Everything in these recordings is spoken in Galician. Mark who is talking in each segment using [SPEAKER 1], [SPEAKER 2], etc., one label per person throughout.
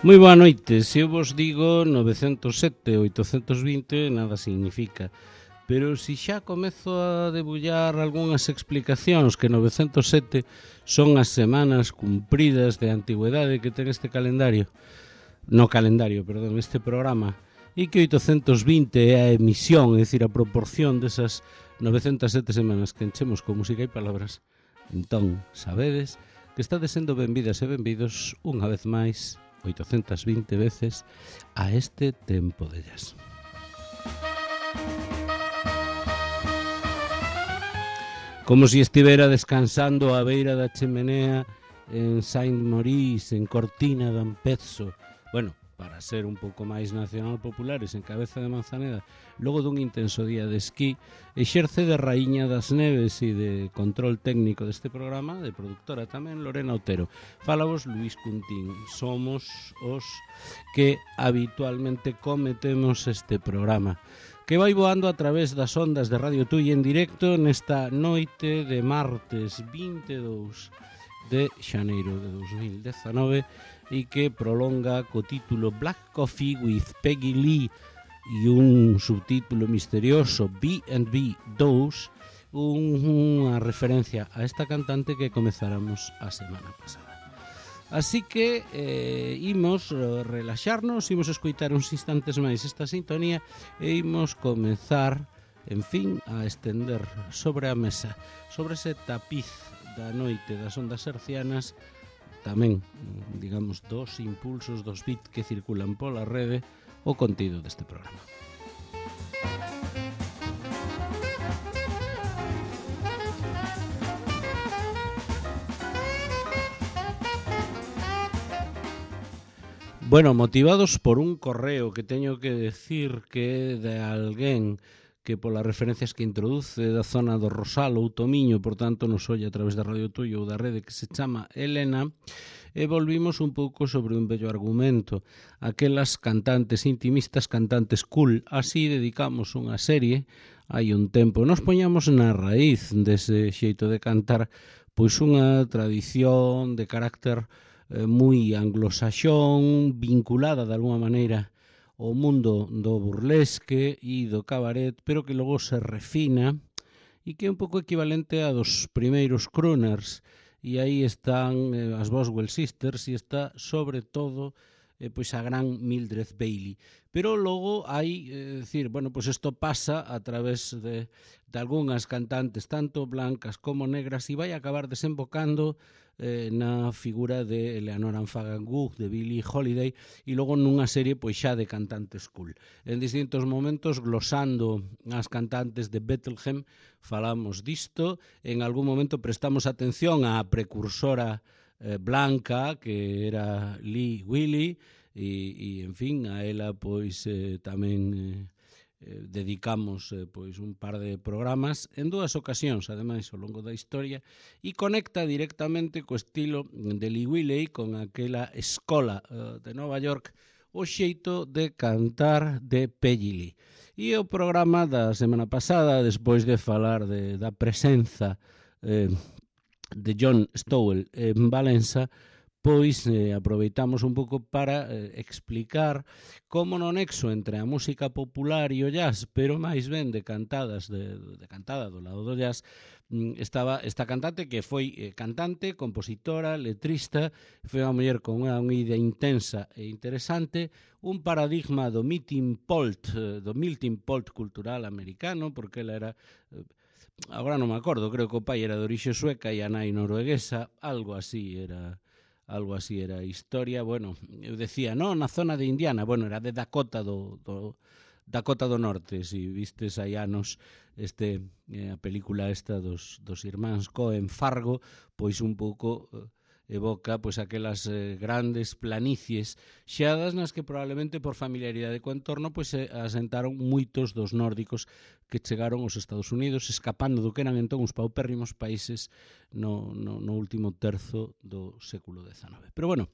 [SPEAKER 1] Moi boa noite, se eu vos digo 907 820 nada significa, pero se xa comezo a debullar algunhas explicacións que 907 son as semanas cumpridas de antigüedade que ten este calendario, este programa, e que 820 é a emisión, é dicir, a proporción desas 907 semanas que enchemos con música e palabras, entón sabedes que estades sendo benvidas e benvidos unha vez máis 820 veces a este tempo de jazz. Como se estivera descansando á beira da chemenea en Saint-Maurice, en Cortina d'Ampezzo, bueno, para ser un pouco máis nacional populares, en Cabeza de Manzaneda, logo dun intenso día de esquí, exerce de raíña das neves e de control técnico deste programa, de productora tamén, Lorena Otero. Fálavos Luís Cuntín, somos os que habitualmente cometemos este programa, que vai voando a través das ondas de Radio Tui en directo nesta noite de martes 22 de xaneiro de 2019 e que prolonga co título Black Coffee with Peggy Lee e un subtítulo misterioso B&B 2, unha referencia a esta cantante que comezáramos a semana pasada. Así que imos relaxarnos, imos escoitar uns instantes máis esta sintonía e imos comezar, en fin, a estender sobre a mesa, sobre ese tapiz da noite das ondas hercianas, tamén, digamos, dos impulsos, dos bits que circulan pola rede, o contido deste programa. Bueno, motivados por un correo que teño que decir que é de alguén que polas referencias que introduce da zona do Rosal ou Tomiño, por tanto nos oye a través da Radio Tuyo ou da rede, que se chama Elena, e volvimos un pouco sobre un bello argumento. Aquelas cantantes intimistas, cantantes cool, así dedicamos unha serie hai un tempo. Nos poñamos na raíz dese xeito de cantar, pois unha tradición de carácter moi anglosaxón, vinculada de alguma maneira o mundo do burlesque e do cabaret, pero que logo se refina e que é un pouco equivalente a dos primeiros crooners. E aí están as Boswell Sisters e está, sobre todo, pois a gran Mildred Bailey. Pero logo hai, decir, bueno, pois isto pasa a través de algunhas cantantes, tanto blancas como negras, e vai acabar desembocando na figura de Eleanor Anfagangoug, de Billie Holiday, e logo nunha serie pois xa de cantantes cool. En distintos momentos, glosando as cantantes de Bethlehem, falamos disto. En algún momento prestamos atención á precursora blanca, que era Lee Willy, e en fin, a ela pois tamén dedicamos pois un par de programas en dúas ocasións, ademais, ao longo da historia, e conecta directamente co estilo de Lee Wiley, con aquela escola de Nova York, o xeito de cantar de Peggy Lee. E o programa da semana pasada, despois de falar da presenza de John Stowell en Valença, pois aproveitamos un pouco para explicar como no nexo entre a música popular e o jazz, pero máis ben de cantada do lado do jazz, estaba esta cantante que foi cantante, compositora, letrista, foi unha muller con unha idea intensa e interesante, un paradigma do melting pot cultural americano, porque ela era... agora non me acordo, creo que o pai era de orixe sueca e a nai norueguesa, algo así era a historia. Bueno, eu decía, non, na zona de Indiana, bueno, era de Dakota do Norte, si vistes hai anos a película esta dos irmáns Coen, Fargo, pois un pouco evoca pois aquelas grandes planicies xeadas nas que probablemente por familiaridade co entorno pois se asentaron moitos dos nórdicos que chegaron aos Estados Unidos escapando do que eran entón os paupérrimos países no último terzo do século XIX. Pero bueno,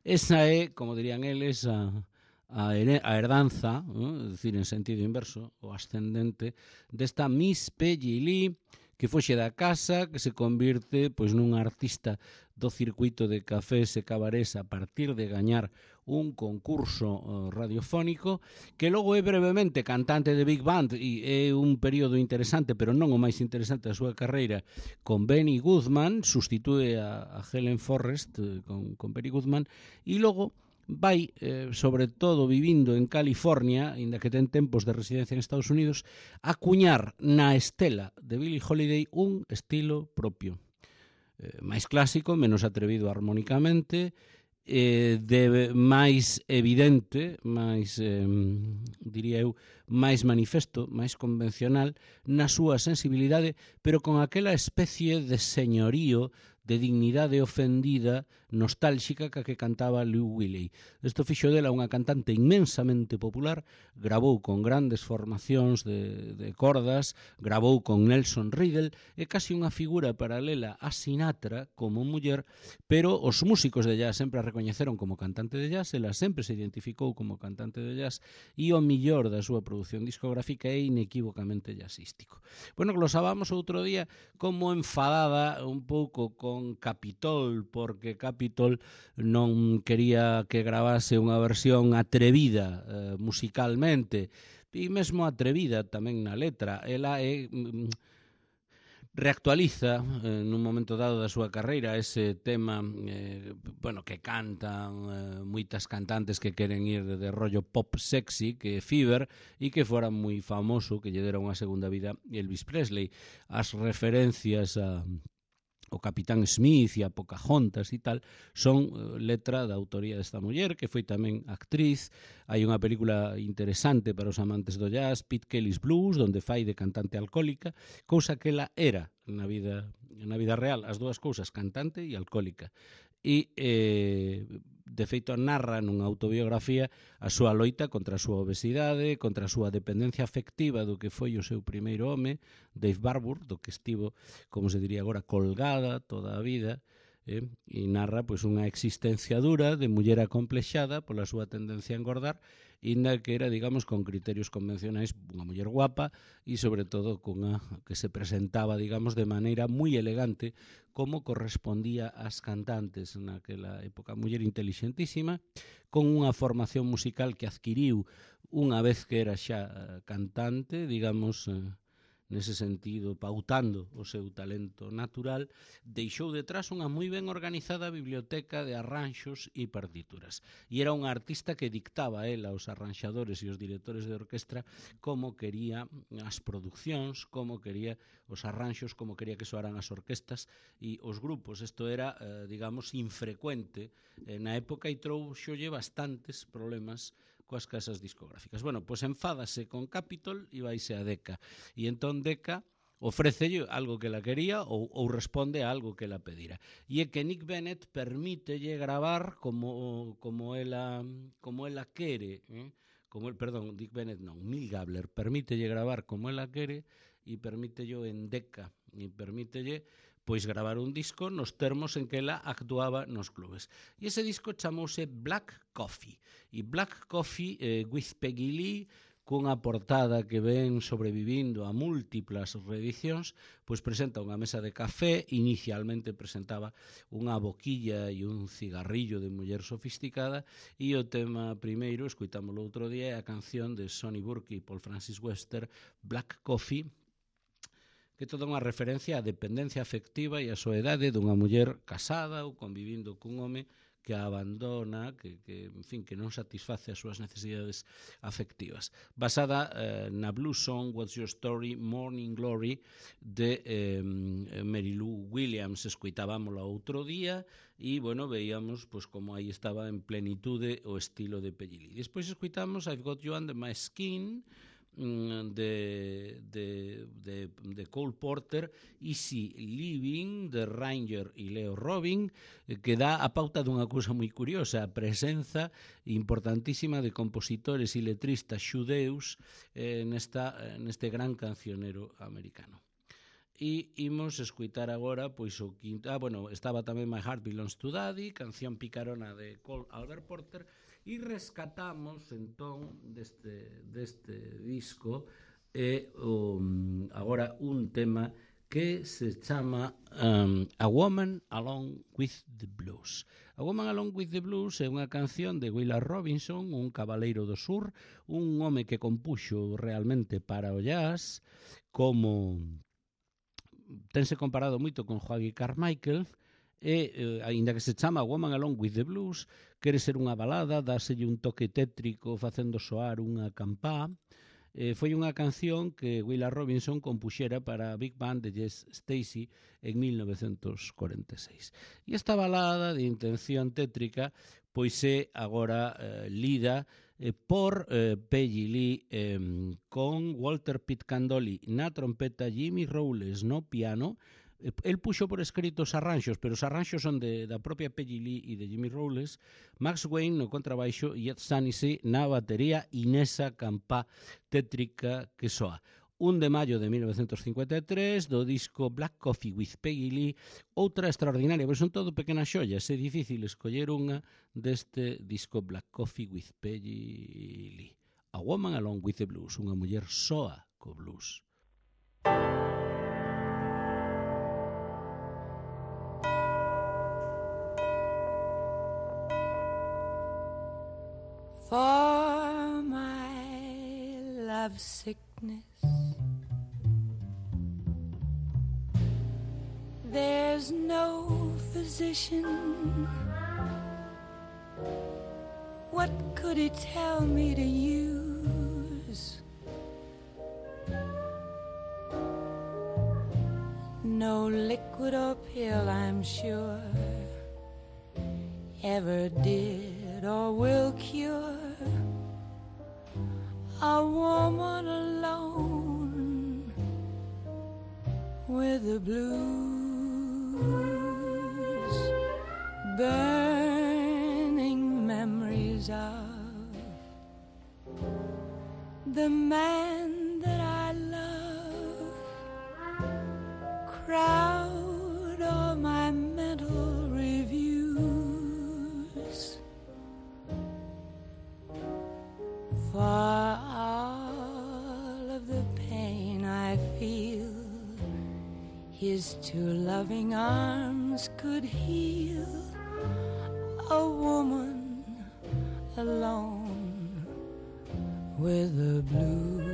[SPEAKER 1] esa é, como dirían eles, a herdanza, é dicir, en sentido inverso, o ascendente, desta Miss Peggy Lee, que foxe da casa, que se convirte pois nun artista do circuito de cafés e cabarés a partir de gañar un concurso radiofónico, que logo é brevemente cantante de Big Band e é un período interesante, pero non o máis interesante da súa carreira, con Benny Goodman, sustitúe a Helen Forrest con Benny Goodman, e logo vai, sobre todo vivindo en California, inda que ten tempos de residencia en Estados Unidos, acuñar na estela de Billie Holiday un estilo propio. Máis clásico, menos atrevido armónicamente, de máis evidente, máis, diría eu, máis manifesto, máis convencional na súa sensibilidade, pero con aquela especie de señorío, de dignidade ofendida, nostálxica que cantaba Lou Willey. Isto fixo dela unha cantante inmensamente popular, gravou con grandes formacións de cordas, gravou con Nelson Riddle, é casi unha figura paralela a Sinatra como muller, pero os músicos de jazz sempre a recoñeceron como cantante de jazz, ela sempre se identificou como cantante de jazz e o millor da súa produción discográfica é inequívocamente jazzístico. Bueno, glosábamos outro día como enfadada un pouco con Capitol, porque Capitol non quería que gravase unha versión atrevida musicalmente e mesmo atrevida tamén na letra. Ela é reactualiza nun momento dado da súa carreira ese tema bueno, que cantan moitas cantantes que queren ir de rollo pop sexy, que é Fever, e que fora moi famoso, que lle dera unha segunda vida Elvis Presley. As referencias a o Capitán Smith e a Pocahontas e tal, son letra da autoría desta muller, que foi tamén actriz. Hai unha película interesante para os amantes do jazz, Pete Kelly's Blues, donde fai de cantante alcohólica, cousa que ela era na vida real, as dúas cousas, cantante e alcohólica. E, de feito, narra nunha autobiografía a súa loita contra a súa obesidade, contra a súa dependencia afectiva do que foi o seu primeiro home, Dave Barbour, do que estivo, como se diría agora, colgada toda a vida, e narra pois unha existencia dura de muller acomplexada pola súa tendencia a engordar, inda que era, digamos, con criterios convencionais unha muller guapa e, sobre todo, cunha que se presentaba, digamos, de maneira moi elegante, como correspondía ás cantantes naquela época. Muller intelixentísima, con unha formación musical que adquiriu unha vez que era xa cantante, digamos, nese sentido, pautando o seu talento natural, deixou detrás unha moi ben organizada biblioteca de arranxos e partituras. E era unha artista que dictaba ela aos arranxadores e os directores de orquestra como quería as producións, como quería os arranxos, como quería que soaran as orquestas e os grupos. Isto era, digamos, infrecuente na época e trouxolle bastantes problemas coas casas discográficas. Bueno, pois enfádase con Capitol e vaise a Decca. E entón Decca ofrécelle algo que la quería ou responde a algo que la pedira. E é que Nick Bennett permítelle gravar como ela quere, Nick Bennett non, Milt Gabler permítelle gravar como ela quere e permítelle en Decca e permítelle pois gravar un disco nos termos en que ela actuaba nos clubes. E ese disco chamouse Black Coffee. E Black Coffee with Peggy Lee, cunha portada que ven sobrevivindo a múltiplas reedicións, pois presenta unha mesa de café, inicialmente presentaba unha boquilla e un cigarrillo de muller sofisticada, e o tema primeiro, escoitámoslo outro día, é a canción de Sonny Burke e Paul Francis Webster, Black Coffee, que toda unha referencia á dependencia afectiva e á soedade dunha muller casada ou convivindo cun home que a abandona, que en fin, que non satisface as súas necesidades afectivas. Basada na blues song What's Your Story, Morning Glory, de Mary Lou Williams. Escoitábamosla outro día e, bueno, veíamos pois, como aí estaba en plenitude o estilo de Peggy Lee. Despois escoitamos I've Got You Under My Skin, de Cole Porter, Easy Living, de Ranger e Leo Robin, que dá a pauta dunha cousa moi curiosa, a presenza importantísima de compositores e letristas xudeus neste gran cancionero americano. E imos escutar agora pois o quinto, estaba tamén My Heart Belongs to Daddy, canción picarona de Cole Albert Porter, e rescatamos entón deste disco agora un tema que se chama A Woman Along with the Blues. A Woman Along with the Blues é unha canción de Willa Robinson, un cabaleiro do sur, un home que compuxo realmente para o jazz, como tense comparado moito con Joaquín Carmichael, e, aínda que se chama Woman Along with the Blues, quere ser unha balada, dáselle un toque tétrico facendo soar unha campá. Foi unha canción que Willa Robinson compuxera para a Big Band de Jess Stacey en 1946. E esta balada de intención tétrica pois é agora lida por Peggy Lee con Walter Pitcandoli na trompeta, Jimmy Rowles no piano. El puxo por escrito os arranxos, pero os arranxos son da propia Peggy Lee e de Jimmy Rowles, Max Wayne no contrabaixo e Ed Sanisi na batería e nesa campá tétrica que soa. 1 de maio de 1953, do disco Black Coffee with Peggy Lee, outra extraordinaria, pero son todo pequenas xollas, é difícil escoller unha deste disco Black Coffee with Peggy Lee. A Woman Along with the Blues, unha muller soa co blues.
[SPEAKER 2] For my love sickness, there's no physician. What could he tell me to use? No liquid or pill, I'm sure, ever did or will cure a woman alone with the blues, burning memories of the man that I love crowd all my mental reviews. For all of the pain I feel, his two loving arms could heal a woman alone with the blues.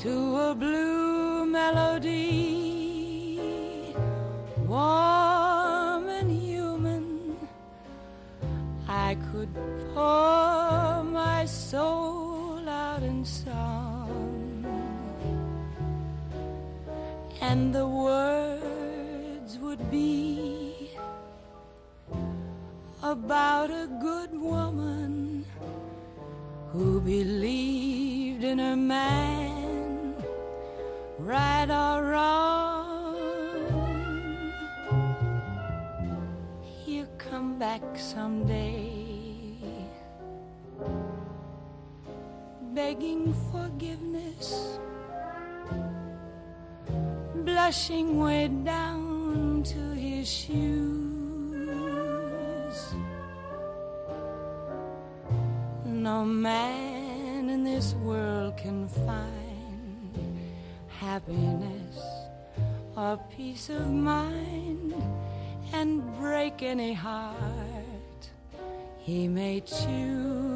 [SPEAKER 2] To a blue melody, warm and human, I could pour my soul out in song, and the words would be about a good woman who believed in her man, right or wrong. He'll come back someday, begging forgiveness, blushing way down to his shoes. No man in this world can find happiness or peace of mind and break any heart he may choose.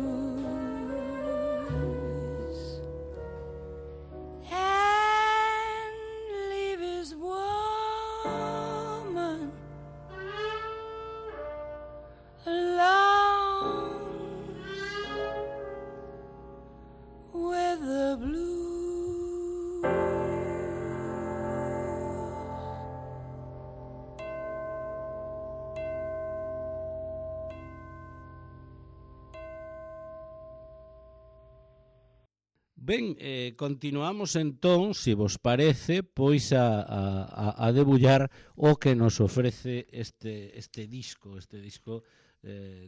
[SPEAKER 1] Ben, continuamos entón, se vos parece, pois a debullar o que nos ofrece este disco,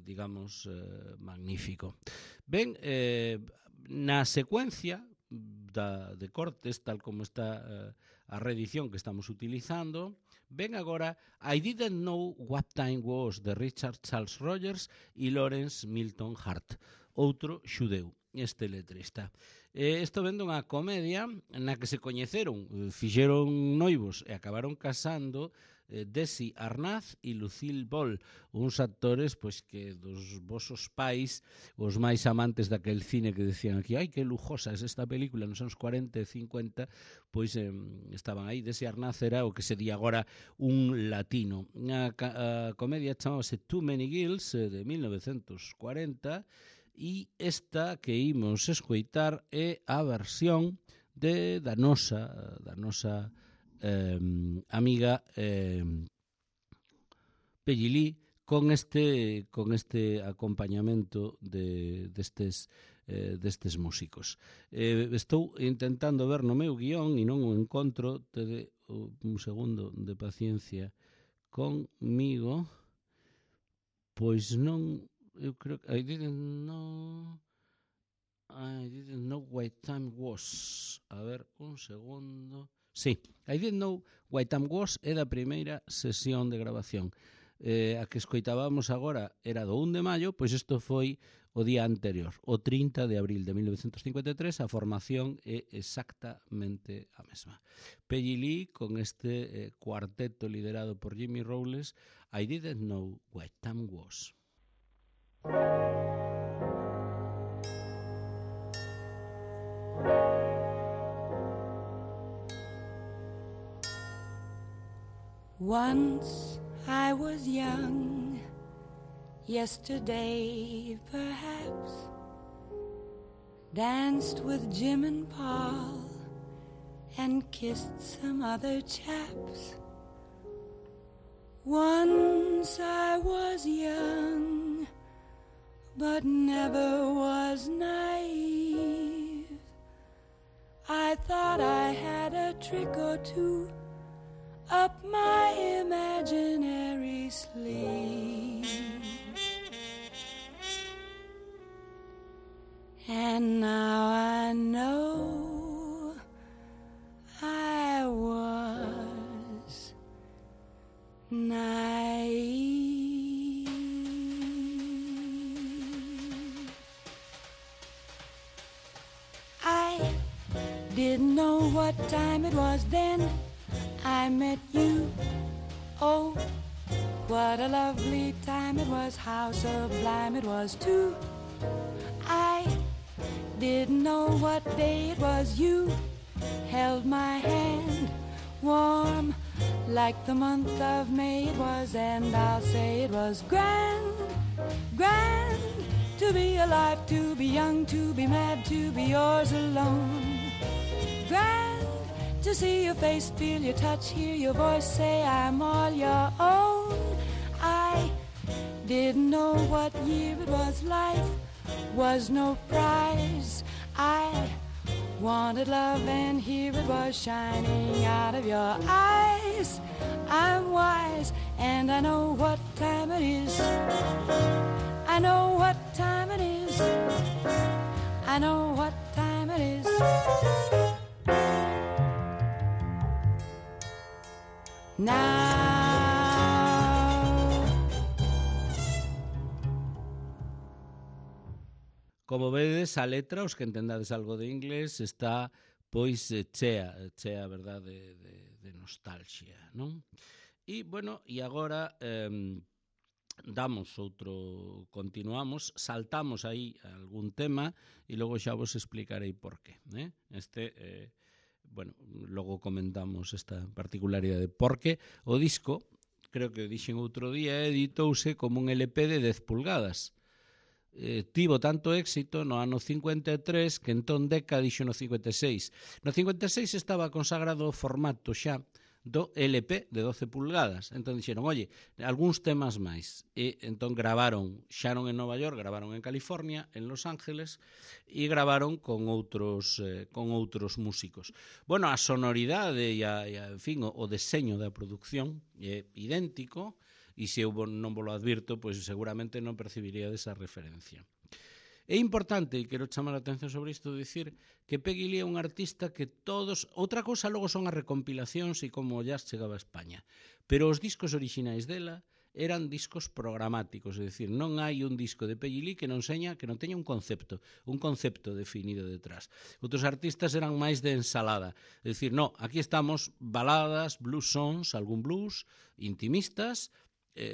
[SPEAKER 1] digamos, magnífico. Ben, na secuencia de cortes, tal como está a reedición que estamos utilizando, ben agora I Didn't Know What Time Was de Richard Charles Rogers e Lawrence Milton Hart, outro xudeu. este letrista. Isto vendo unha comedia na que se coñeceron, fixeron noivos e acabaron casando Desi Arnaz e Lucille Ball, uns actores pois que dos vosos pais, os máis amantes daquel cine que decían aquí, ai, que lujosa é esta película nos anos 40 e 50, pois estaban aí. Desi Arnaz era o que se di agora un latino. A comedia chamábase Too Many Girls, de 1940, e esta que imos escoitar é a versión da nosa amiga Peggy Lee con este acompañamento destes músicos. Estou intentando ver no meu guión e non o encontro, tede un segundo de paciencia conmigo, pois non, eu creo que I didn't know what time was. A ver, un segundo. Sí, I didn't know what time was é da primeira sesión de grabación. A que escoitábamos agora era do 1 de maio, pois isto foi o día anterior, o 30 de abril de 1953, a formación é exactamente a mesma. Peggy Lee con este cuarteto liderado por Jimmy Rowles, I didn't know what time was.
[SPEAKER 2] Once I was young, yesterday perhaps, danced with Jim and Paul and kissed some other chaps. Once I was young, but never was naive. I thought I had a trick or two up my imaginary sleeve. And now I know I was naive. I didn't know what time it was then I met you. Oh, what a lovely time it was, how sublime it was too. I didn't know what day it was, you held my hand warm like the month of May it was, and I'll say it was grand, grand to be alive, to be young, to be mad, to be yours alone. Grand to see your face, feel your touch, hear your voice, say I'm all your own. I didn't know what year it was, life was no prize. I wanted love and here it was shining out of your eyes. I'm wise and I know what time it is. I know what time it is. I know what time it is. Now
[SPEAKER 1] como vedes, a letra, os que entendades algo de inglés, está pois chea, verdade, de nostalgia, non? E, bueno, e agora continuamos, saltamos aí algún tema e logo xa vos explicarei por qué. Bueno, logo comentamos esta particularidade, porque o disco, creo que o dixen outro día, editouse como un LP de 10 pulgadas. Tivo tanto éxito no ano 53 que entón Decca dixo no 56. No 56 estaba consagrado o formato xa do LP de 12 pulgadas. Entón dixeron, oye, algúns temas máis. E entón gravaron, xa non en Nova York, gravaron en California, en Los Ángeles, e gravaron con outros músicos. Bueno, a sonoridade e en fin, o deseño da produción é idéntico, e se eu non vos lo advirto, pois seguramente non percibiría esa referencia. É importante, e quero chamar a atención sobre isto, dicir que Peggy Lee é un artista que todos... Outra cousa logo son as recompilacións e como jazz chegaba a España. Pero os discos orixinais dela eran discos programáticos, é dicir, non hai un disco de Peggy Lee que non teña un concepto definido detrás. Outros artistas eran máis de ensalada, é dicir, aquí estamos baladas, blues songs, algún blues, intimistas,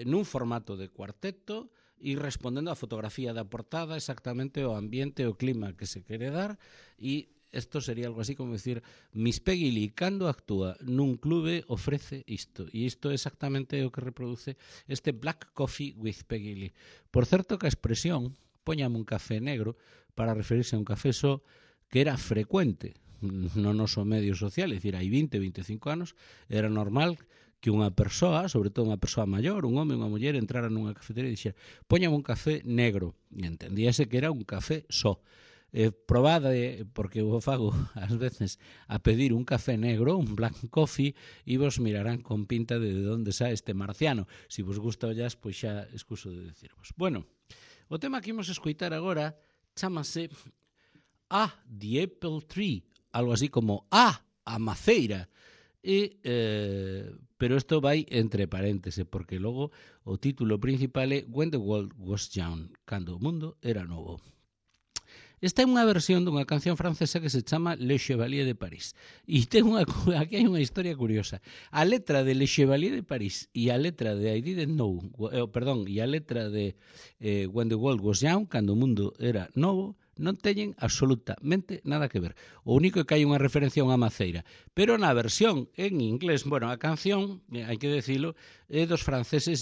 [SPEAKER 1] nun formato de cuarteto e respondendo á fotografía da portada exactamente o ambiente, o clima que se quere dar, e isto sería algo así como decir, Miss Peggy Lee, cando actúa nun clube, ofrece isto. E isto é exactamente o que reproduce este Black Coffee with Peggy Lee. Por certo que a expresión, póñame un café negro, para referirse a un café só, que era frecuente no noso medio social, é dicir, hai 20, 25 anos, era normal que unha persoa, sobre todo unha persoa maior, un home, unha muller, entrara nunha cafetería e dixera, póñame un café negro. E entendíase que era un café só. Probade, porque eu fago ás veces a pedir un café negro, un black coffee, e vos mirarán con pinta de onde xa este marciano. Se vos gusta o jazz, pois xa excuso de decirvos. Bueno, o tema que imos escoitar agora chámase The Apple Tree, algo así como a maceira. Pero isto vai entre parénteses, porque logo o título principal é When the World Was Young, cando o mundo era novo. Esta é unha versión dunha canción francesa que se chama Le Chevalier de Paris. E aquí hai unha historia curiosa. A letra de Le Chevalier de Paris e a letra de I Didn't Know, e a letra de When the World Was Young, cando o mundo era novo, non teñen absolutamente nada que ver. O único é que hai unha referencia a unha maceira. Pero na versión en inglés, a canción, hai que decilo, é dos franceses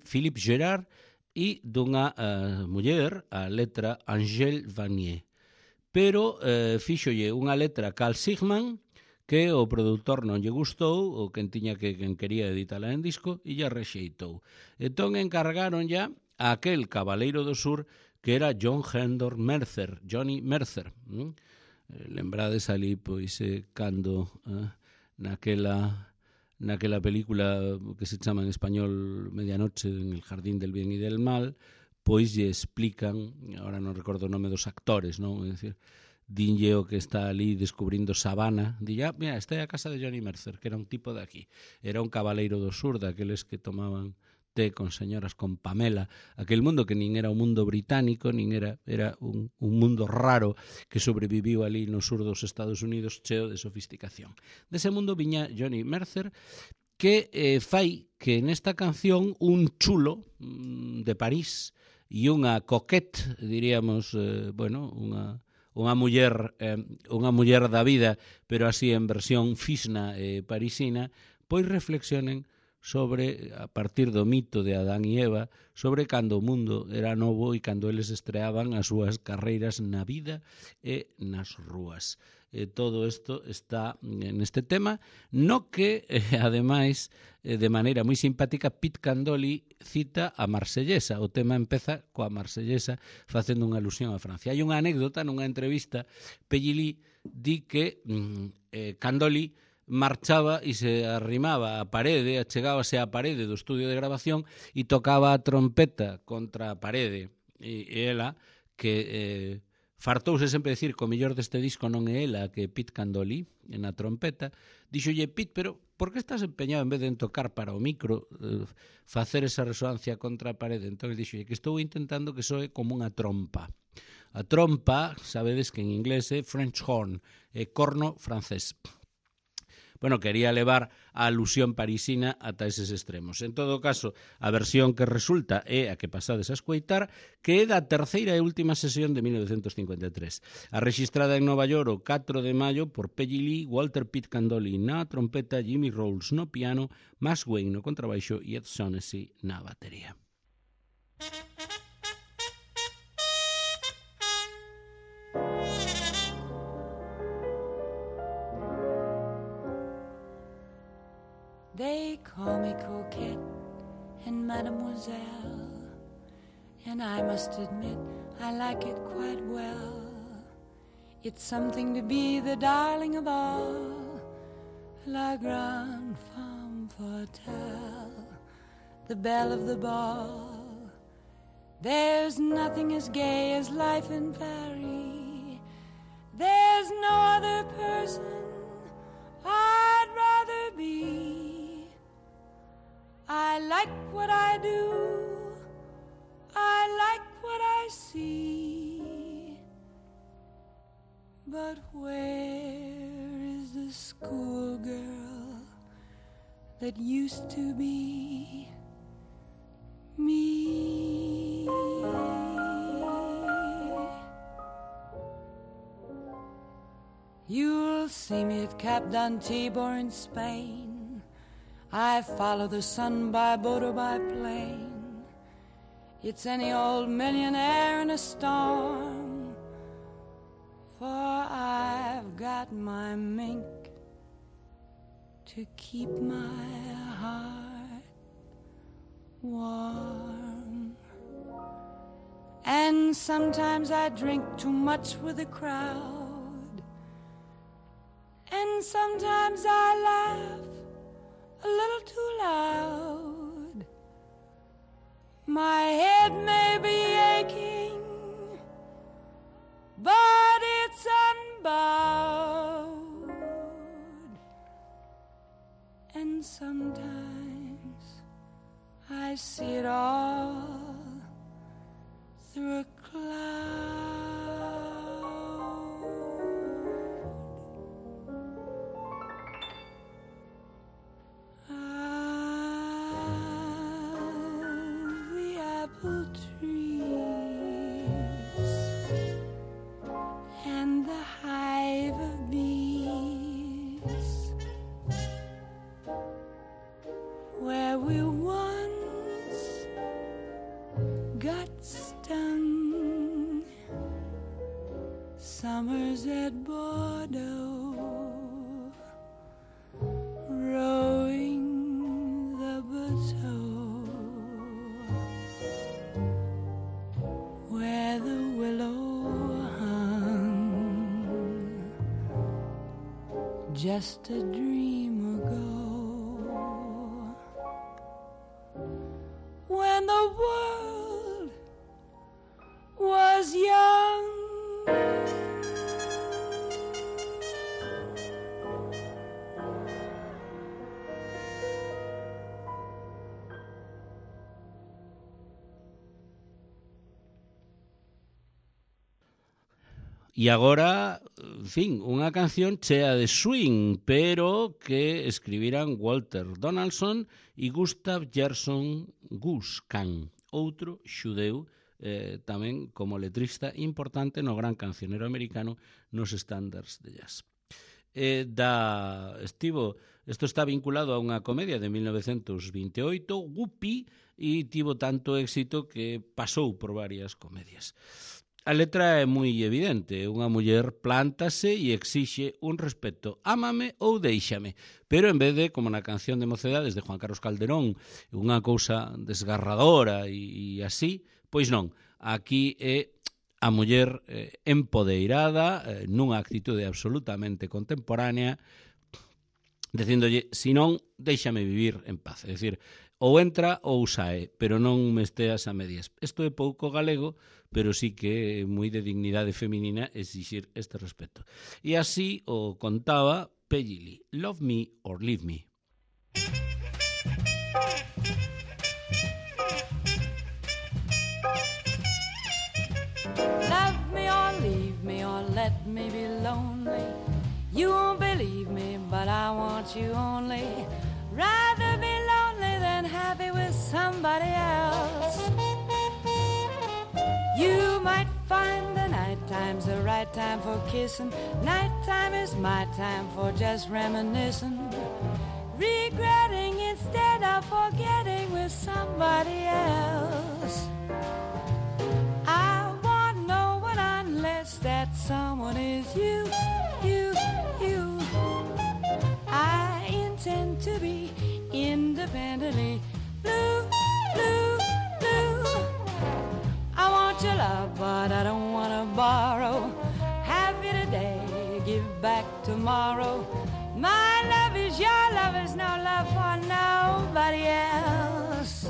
[SPEAKER 1] Philippe Gerard e dunha muller, a letra Angèle Vanier. Pero fíxolle unha letra Carl Sigman que o produtor non lle gustou, ou quen quería editala en disco, e lle rexeitou. Entón encargaron ya a aquel cabaleiro do sur que era Johnny Mercer. Lembrades ali, pois, cando naquela película que se chama en español Medianoche en el jardín del bien y del mal, pois lle explican, ahora non recordo o nome dos actores, non? É dicir, dinlle o que está ali descubrindo Sabana, dille, mira, esta é a casa de Johnny Mercer, que era un tipo de aquí, era un cabaleiro do sur, daqueles que tomaban té con señoras con Pamela, aquel mundo que nin era un mundo británico, nin era un mundo raro que sobreviviu ali no sur dos Estados Unidos cheo de sofisticación. Dese mundo viña Johnny Mercer, que fai que nesta canción un chulo de París e unha coquette, diríamos, unha muller da vida, pero así en versión fisna parisina, pois reflexionen sobre, a partir do mito de Adán e Eva, sobre cando o mundo era novo e cando eles estreaban as súas carreiras na vida e nas rúas. Todo isto está neste tema, no que, ademais, de maneira moi simpática, Pete Candoli cita a Marsellesa. O tema empeza coa Marsellesa facendo unha alusión a Francia. Hai unha anécdota nunha entrevista, Peggy Lee di que Candoli marchaba e se arrimaba a parede, achegábase á parede do estudio de grabación e tocaba a trompeta contra a parede. E ela, que fartouse sempre decir que o mellor deste disco non é ela que Pete Candoli na trompeta, dixolle, Pete, pero por que estás empeñado en vez de tocar para o micro, facer esa resoancia contra a parede? Entón dixolle que estou intentando que soe como unha trompa. A trompa, sabedes que en inglés é French horn, é corno francés. Bueno, quería levar a alusión parisina ata eses extremos. En todo caso, a versión que resulta é a que pasades a escoitar, que é da terceira e última sesión de 1953. A rexistrada en Nova York o 4 de maio por Peggy Lee, Walter Pete Candoli na trompeta, Jimmy Rolls no piano, Max Wayne no contrabaixo e Ed Shaughnessy na batería.
[SPEAKER 2] They call me Coquette and Mademoiselle, and I must admit I like it quite well. It's something to be the darling of all, la grande femme fatale, the belle of the ball. There's nothing as gay as life in Paris. There's no other person I'd rather be. I like what I do, I like what I see, but where is the schoolgirl that used to be me? You'll see me at Cap d'Antibes in Spain. I follow the sun by boat or by plane. It's any old millionaire in a storm, for I've got my mink to keep my heart warm. And sometimes I drink too much with the crowd, and sometimes I laugh a little too loud. My head may be aching, but it's unbowed. And sometimes I see it all through a cloud. The apple trees and the hive of bees, where we once got stung. Summers at Bordeaux, rowing the bateau, where the willow hung, just a dream ago. When the world was young,
[SPEAKER 1] E agora, en fin, unha canción chea de swing, pero que escribiran Walter Donaldson e Gustav Gerson Gus-Kahn, outro xudeu tamén como letrista importante no gran cancionero americano nos estándares de jazz. Isto está vinculado a unha comedia de 1928, Whoopi, e tivo tanto éxito que pasou por varias comedias. A letra é moi evidente, unha muller plántase e exixe un respeto, ámame ou déixame, pero en vez de, como na canción de Mocedades de Juan Carlos Calderón, unha cousa desgarradora e así, pois non, aquí é a muller empodeirada, nunha actitude absolutamente contemporánea, dicíndolle, si non, déixame vivir en paz, é dicir, ou entra ou sae, pero non me esteas a medias. Isto é pouco galego, pero sí que é moi de dignidade feminina exixir este respeto. E así o contaba Peggy Lee, Love Me or Leave Me.
[SPEAKER 2] Love me or leave me or let me be lonely. You won't believe me, but I want you only. Rather be lonely than happy with somebody else. You might find the night time's the right time for kissing. Nighttime is my time for just reminiscing. Regretting instead of forgetting with somebody else. I want no one unless that someone is you, you, you. I intend to be independently blue, blue, blue. I want your love, but I don't want to borrow. Happy today, give back tomorrow. My love is your love, is no love for nobody else.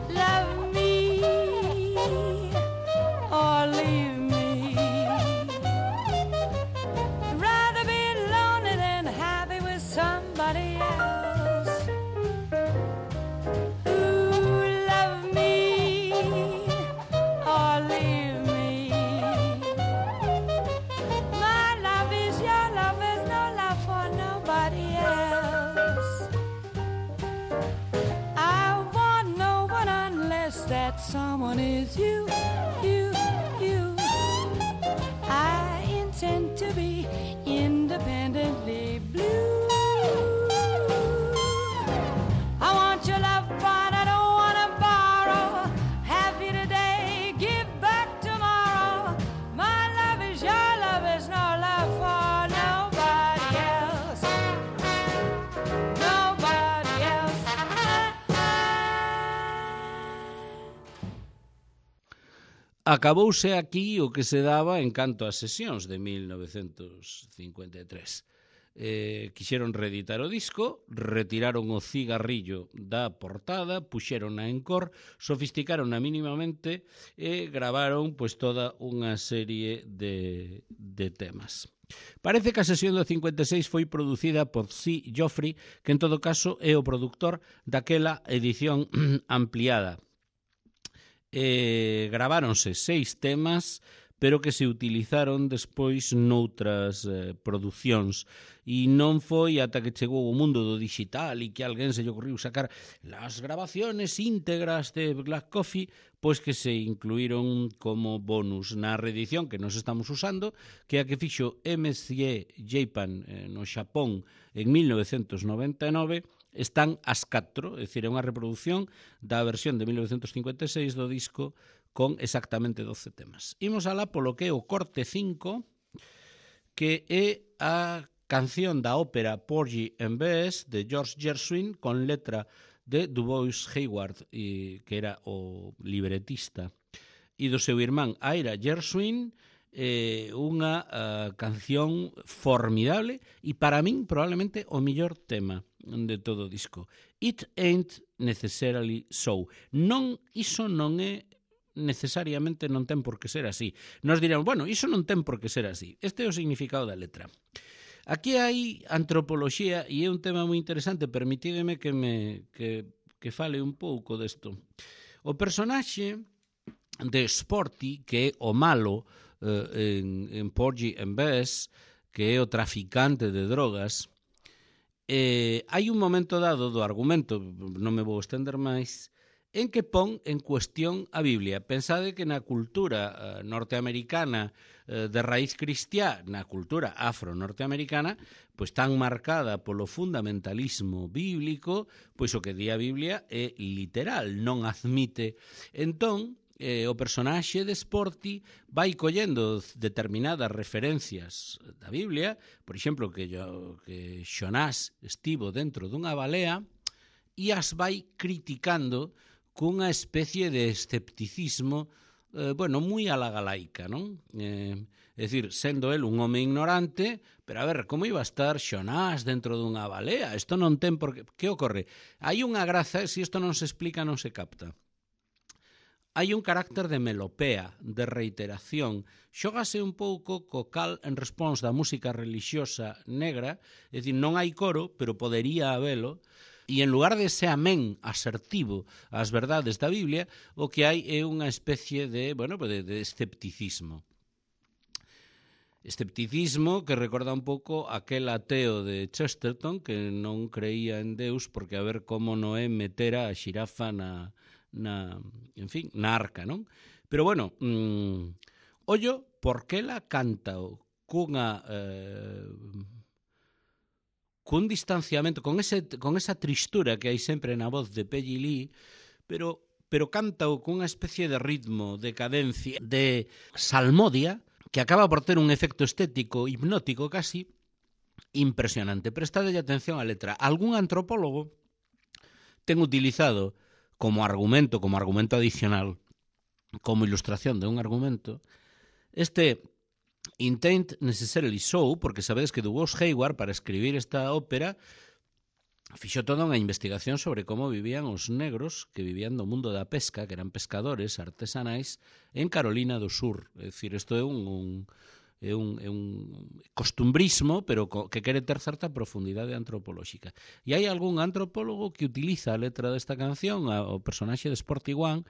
[SPEAKER 2] Love me or leave me. Rather be lonely than happy with somebody else.
[SPEAKER 1] acabouse aquí o que se daba en canto ás sesións de 1953. Quixeron reeditar o disco, retiraron o cigarrillo da portada, puxeron en cor, sofisticaron mínimamente e gravaron pois toda unha serie de temas. Parece que a sesión do 56 foi producida por C. Joffrey, que en todo caso é o produtor daquela edición ampliada. Graváronse 6 temas, pero que se utilizaron despois noutras producións. E non foi ata que chegou o mundo do digital e que alguén se lle ocurriu sacar las grabaciones íntegras de Black Coffee, pois que se incluíron como bonus na reedición que nos estamos usando, que é a que fixo MCE Japan no Xapón en 1999. Están as 4, é dicir, é unha reproducción da versión de 1956 do disco con exactamente 12 temas. Imos alá polo que é o corte 5, que é a canción da ópera Porgy and Bess de George Gershwin con letra de Dubois Hayward, que era o libretista, e do seu irmán Ira Gershwin, unha canción formidable e para min probablemente o mellor tema de todo o disco. It ain't necessarily so. Iso non é necesariamente, non ten por que ser así. Nos dirán, bueno, iso non ten por que ser así. Este é o significado da letra. Aquí hai antropoloxía e é un tema moi interesante, permitídeme que fale un pouco desto. O personaxe de Sporty, que é o malo en Porgy and Bess, que é o traficante de drogas, hai un momento dado do argumento, non me vou estender máis, en que pon en cuestión a Biblia. Pensade que na cultura norteamericana de raíz cristiá, na cultura afro-norteamericana, pois tan marcada polo fundamentalismo bíblico, pois o que di a Biblia é literal, non admite. Entón, o personaxe de Sporty vai collendo determinadas referencias da Biblia, por exemplo, que Xonás estivo dentro dunha balea, e as vai criticando cunha especie de escepticismo moi a la galaica, non? É dicir, sendo el un home ignorante, pero a ver, como iba a estar Xonás dentro dunha balea? Isto non ten por que... Que ocorre? Hai unha graza, se isto non se explica, non se capta. Hai un carácter de melopea, de reiteración. Xógase un pouco co call and response da música relixiosa negra, é dicir, non hai coro, pero podería habelo, e en lugar de ese amén asertivo ás verdades da Biblia, o que hai é unha especie de escepticismo. Escepticismo que recorda un pouco aquel ateo de Chesterton que non creía en Deus porque a ver como Noé metera a xirafa na arca, non? Pero bueno, ollo, por que la canta cun distanciamento, con esa tristura que hai sempre na voz de Peggy Lee, pero cántao cunha especie de ritmo, de cadencia, de salmodia, que acaba por ter un efecto estético, hipnótico casi, impresionante. Prestadelle atención á letra. Algún antropólogo ten utilizado como argumento adicional, como ilustración de un argumento, este It ain't necessarily so, porque sabedes que Dubois Hayward, para escribir esta ópera, fixo toda unha investigación sobre como vivían os negros que vivían do mundo da pesca, que eran pescadores artesanais, en Carolina do Sur. É dicir, isto é un costumbrismo, pero que quere ter certa profundidade antropolóxica. E hai algún antropólogo que utiliza a letra desta canción, o personaxe de Sporty One,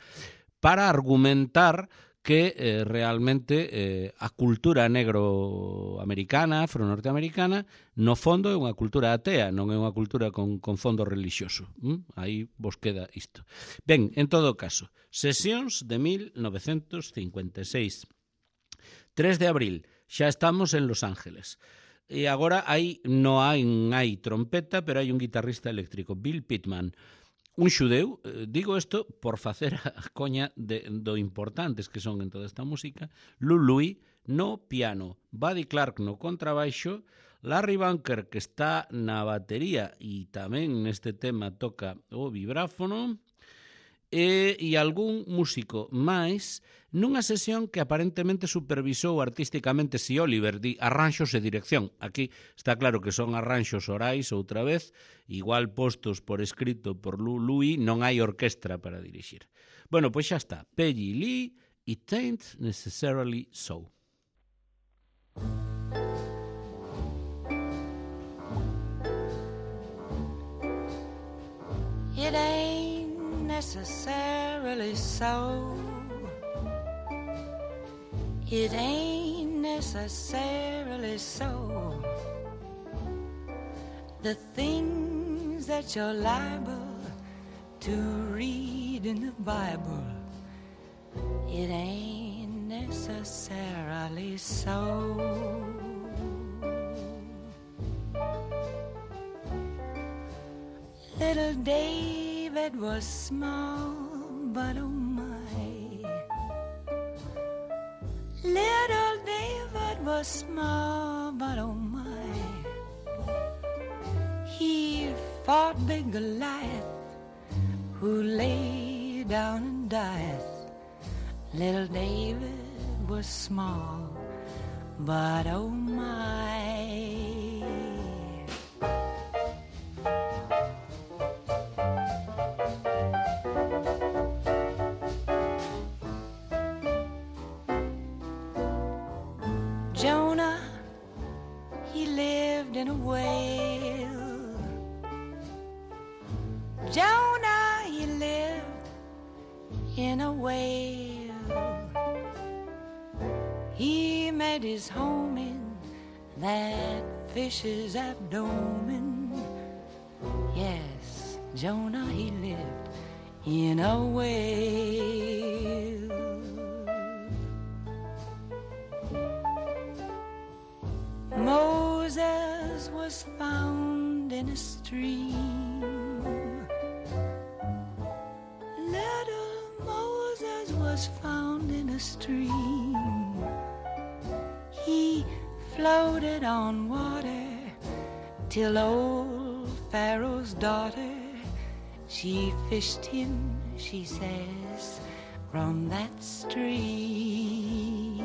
[SPEAKER 1] para argumentar que realmente a cultura negro-americana, afro-norteamericana, no fondo é unha cultura atea, non é unha cultura con fondo religioso. Aí vos queda isto. Ben, en todo caso, sesións de 1956. 3 de abril, xa estamos en Los Ángeles. E agora non hai trompeta, pero hai un guitarrista eléctrico, Bill Pittman. Un xudeu, digo isto por facer a coña do importantes que son en toda esta música, Lou Louis no piano, Buddy Clark no contrabaixo, Larry Bunker que está na batería e tamén neste tema toca o vibráfono, e algún músico máis nunha sesión que aparentemente supervisou artísticamente si Oliver di arranxos e dirección. Aquí está claro que son arranxos orais outra vez, igual postos por escrito por Louis, non hai orquestra para dirixir. Bueno, pois xa está. Peggy Lee, It Ain't Necessarily So.
[SPEAKER 2] It ain't necessarily so. It ain't necessarily so. The things that you're liable to read in the Bible, it ain't necessarily so. Little David was small, but oh my. Little David was small, but oh my. He fought big Goliath, who lay down and died. Little David was small, but oh my. Jonah, he lived in a whale. Jonah, he lived in a whale. He made his home in that fish's abdomen. Yes, Jonah, he lived in a whale. Moses was found in a stream. Little Moses was found in a stream. He floated on water till old Pharaoh's daughter, she fished him, she says, from that stream.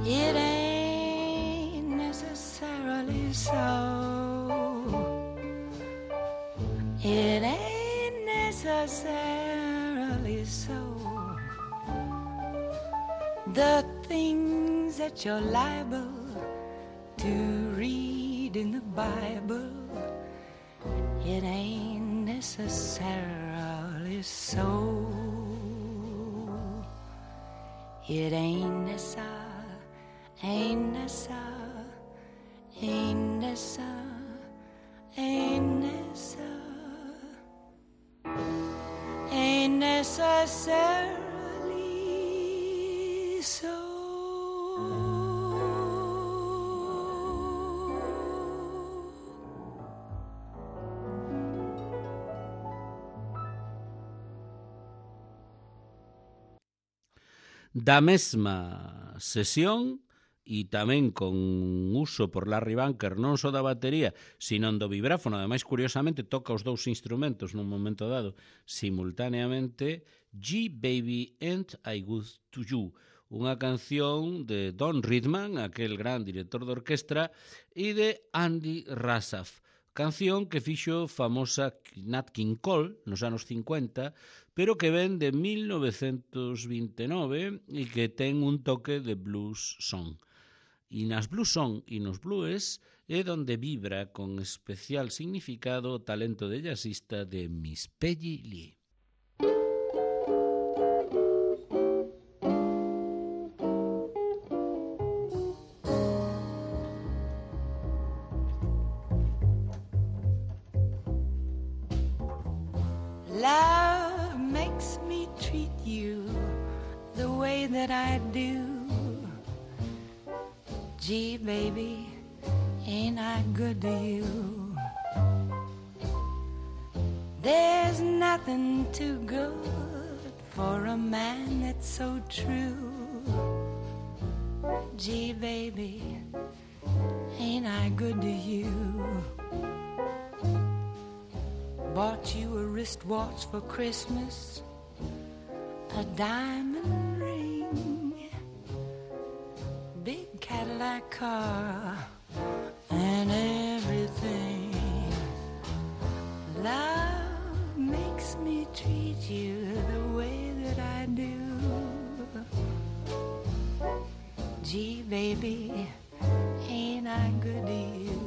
[SPEAKER 2] It ain't necessarily so. It ain't necessarily so. The things that you're liable to read in the Bible, it ain't necessarily so. It ain't necessarily. Ain't necessary, ain't necessary, ain't necessary, ain't necessarily so.
[SPEAKER 1] Da mesma sesión e tamén con uso por Larry Bunker non só da batería, sino do vibráfono. Ademais, curiosamente, toca os dous instrumentos nun momento dado simultaneamente. Gee, Baby, Ain't I Good to You, unha canción de Don Ridman, aquel gran director de orquestra, e de Andy Rassaf, canción que fixo famosa Nat King Cole nos anos 50, pero que ven de 1929 e que ten un toque de blues song. E nas blues song e nos blues é donde vibra con especial significado o talento de jazzista de Miss Peggy Lee.
[SPEAKER 2] Love makes me treat you the way that I do. Gee, baby, ain't I good to you? There's nothing too good for a man that's so true. Gee, baby, ain't I good to you? Bought you a wristwatch for Christmas, a diamond ring, big Cadillac car, and everything. Love makes me treat you the way that I do. Gee, baby, ain't I good to you?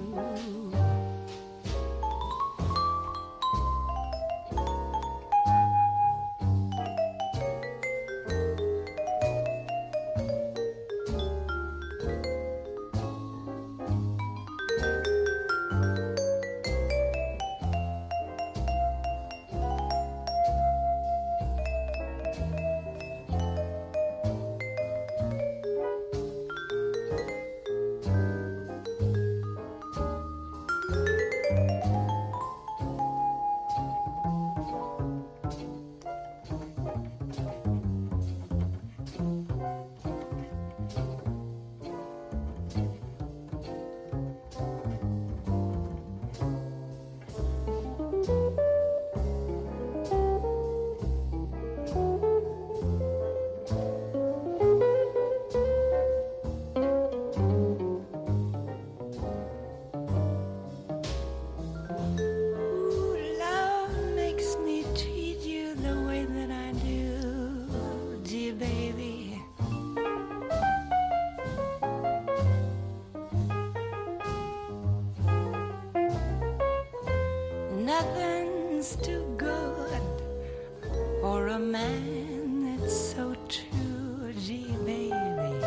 [SPEAKER 2] Nothing's too good for a man that's so true, gee, baby.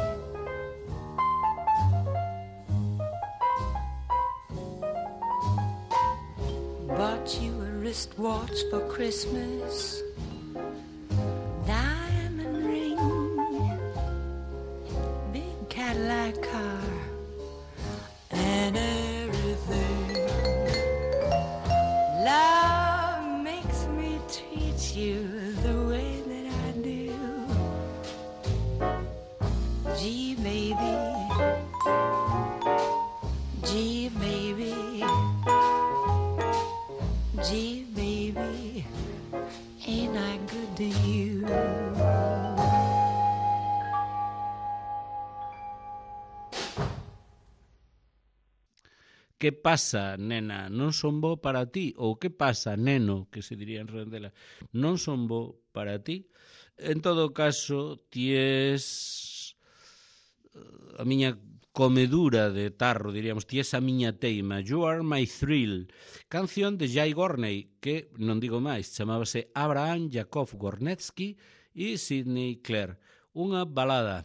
[SPEAKER 2] Bought you a wristwatch for Christmas, diamond ring, big Cadillac car, and everything. Love makes me treat you the way that I do. Gee, baby. Gee, baby. Gee, baby. Ain't I good to you?
[SPEAKER 1] Que pasa, nena, non son bo para ti? Ou que pasa, neno, que se diría en Redondela, non son bo para ti? En todo caso, ties a miña comedura de tarro, diríamos, ties a miña teima, You Are My Thrill, canción de Jay Gorney, que, non digo máis, chamábase Abraham Yakov Gornetsky e Sidney Clare, unha balada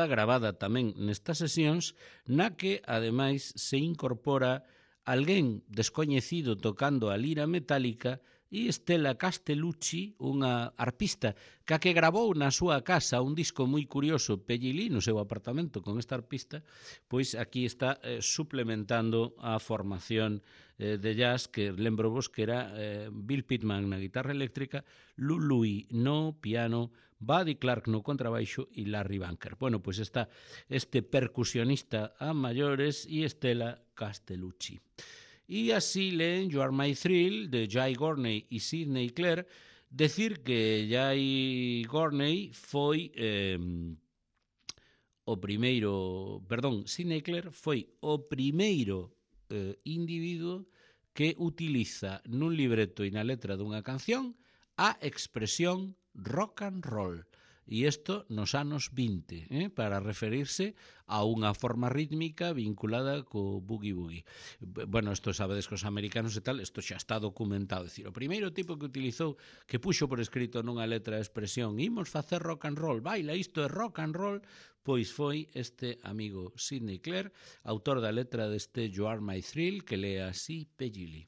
[SPEAKER 1] gravada tamén nestas sesións na que, ademais, se incorpora alguén descoñecido tocando a lira metálica e Stella Castellucci, unha arpista que gravou na súa casa un disco moi curioso, Pellilí, no seu apartamento con esta arpista, pois aquí está suplementando a formación de jazz que lembro vos que era Bill Pittman na guitarra eléctrica, Lou Louis no piano, Buddy Clark no contrabaixo e Larry Bunker. Bueno, pois está este percusionista a maiores e Stella Castellucci. E así leen You Are My Thrill de Jay Gorney e Sidney Clare. Decir que Jay Gorney foi Sidney Clare foi o primeiro individuo que utiliza nun libreto e na letra dunha canción a expresión rock and roll. E isto nos anos 20, para referirse a unha forma rítmica vinculada co boogie-boogie. Bueno, isto sabedes que os americanos e tal, isto xa está documentado. É dicir, o primeiro tipo que utilizou, que puxo por escrito nunha letra a expresión imos facer rock and roll, baila, isto é rock and roll, pois foi este amigo Sidney Clare, autor da letra deste You Are My Thrill, que lee así Pellili.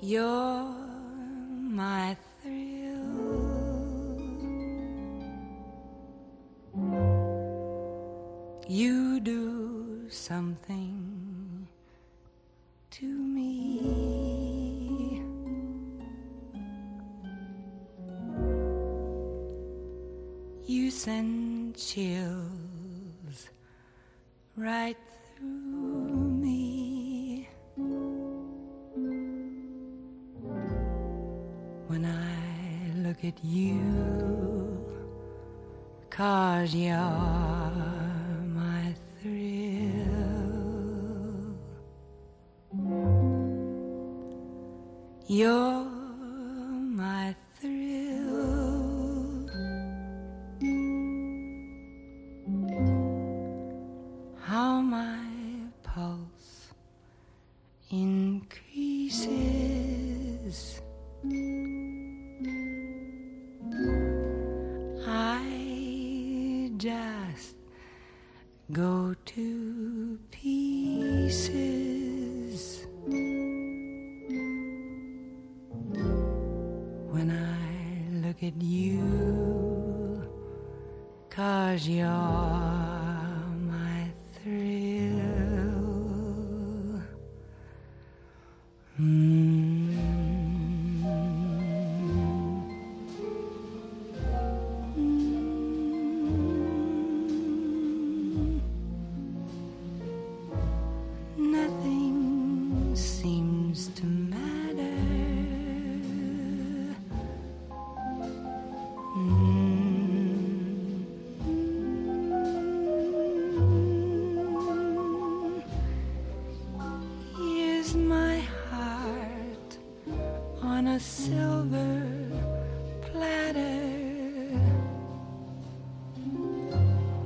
[SPEAKER 2] You're my you do something to me. You send chills right through me when I look at you, 'cause you're my thrill. You're my thrill. How my pulse increases. I just go to pieces when I look at you, 'cause you're my thrill. Nothing seems to matter. Here's my heart on a silver platter.